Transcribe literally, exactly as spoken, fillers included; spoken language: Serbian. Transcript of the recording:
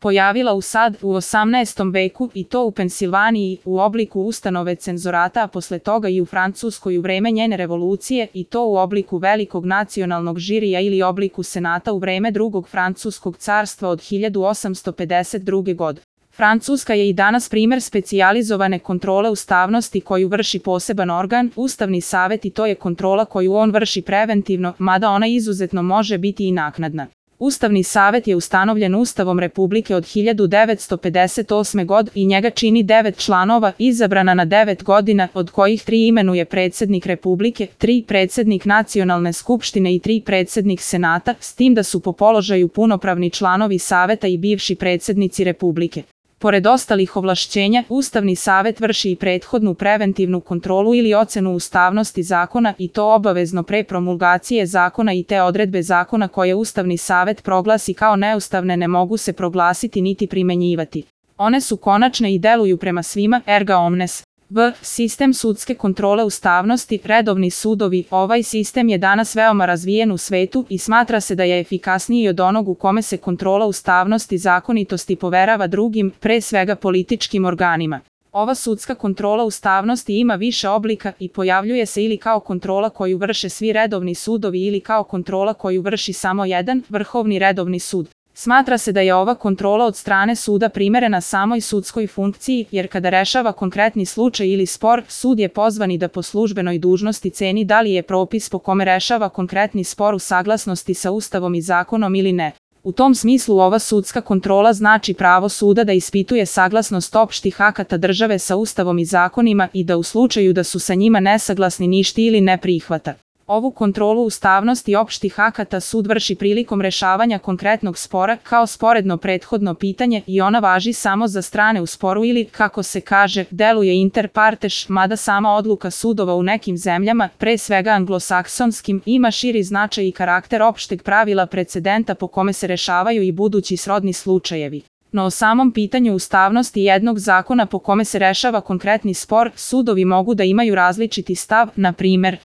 pojavila u sad u osamnaestom veku i to u Pensilvaniji u obliku ustanove cenzorata, a posle toga i u Francuskoj u vreme njene revolucije i to u obliku velikog nacionalnog žirija ili obliku senata u vreme drugog francuskog carstva od hiljadu osamsto pedeset druge. godine. Francuska je i danas primer specijalizovane kontrole ustavnosti koju vrši poseban organ, Ustavni savet, i to je kontrola koju on vrši preventivno, mada ona izuzetno može biti i naknadna. Ustavni savet je ustanovljen Ustavom Republike od hiljadu devetsto pedeset osme. godine i njega čini devet članova, izabrana na devet godina, od kojih tri imenuje predsednik Republike, tri predsednik Nacionalne skupštine i tri predsednik Senata, s tim da su po položaju punopravni članovi Saveta i bivši predsednici Republike. Pored ostalih ovlašćenja, Ustavni savet vrši i prethodnu preventivnu kontrolu ili ocenu ustavnosti zakona i to obavezno pre promulgacije zakona i te odredbe zakona koje Ustavni savet proglasi kao neustavne ne mogu se proglasiti niti primenjivati. One su konačne i deluju prema svima, erga omnes. V. Sistem sudske kontrole ustavnosti, redovni sudovi. Ovaj sistem je danas veoma razvijen u svetu i smatra se da je efikasniji od onog u kome se kontrola ustavnosti zakonitosti poverava drugim, pre svega političkim organima. Ova sudska kontrola ustavnosti ima više oblika i pojavljuje se ili kao kontrola koju vrše svi redovni sudovi ili kao kontrola koju vrši samo jedan, Vrhovni redovni sud. Smatra se da je ova kontrola od strane suda primerena samoj sudskoj funkciji, jer kada rešava konkretni slučaj ili spor, sud je pozvan i da po službenoj dužnosti ceni da li je propis po kome rešava konkretni spor u saglasnosti sa Ustavom i zakonom ili ne. U tom smislu ova sudska kontrola znači pravo suda da ispituje saglasnost opštih akata države sa Ustavom i zakonima i da u slučaju da su sa njima nesaglasni ništi ili ne prihvata. Ovu kontrolu ustavnosti opštih akata sud vrši prilikom rešavanja konkretnog spora kao sporedno prethodno pitanje i ona važi samo za strane u sporu ili, kako se kaže, deluje inter partes, mada sama odluka sudova u nekim zemljama, pre svega anglosaksonskim, ima širi značaj i karakter opšteg pravila precedenta po kome se rešavaju i budući srodni slučajevi. No o samom pitanju ustavnosti jednog zakona po kome se rešava konkretni spor, sudovi mogu da imaju različiti stav, na primer,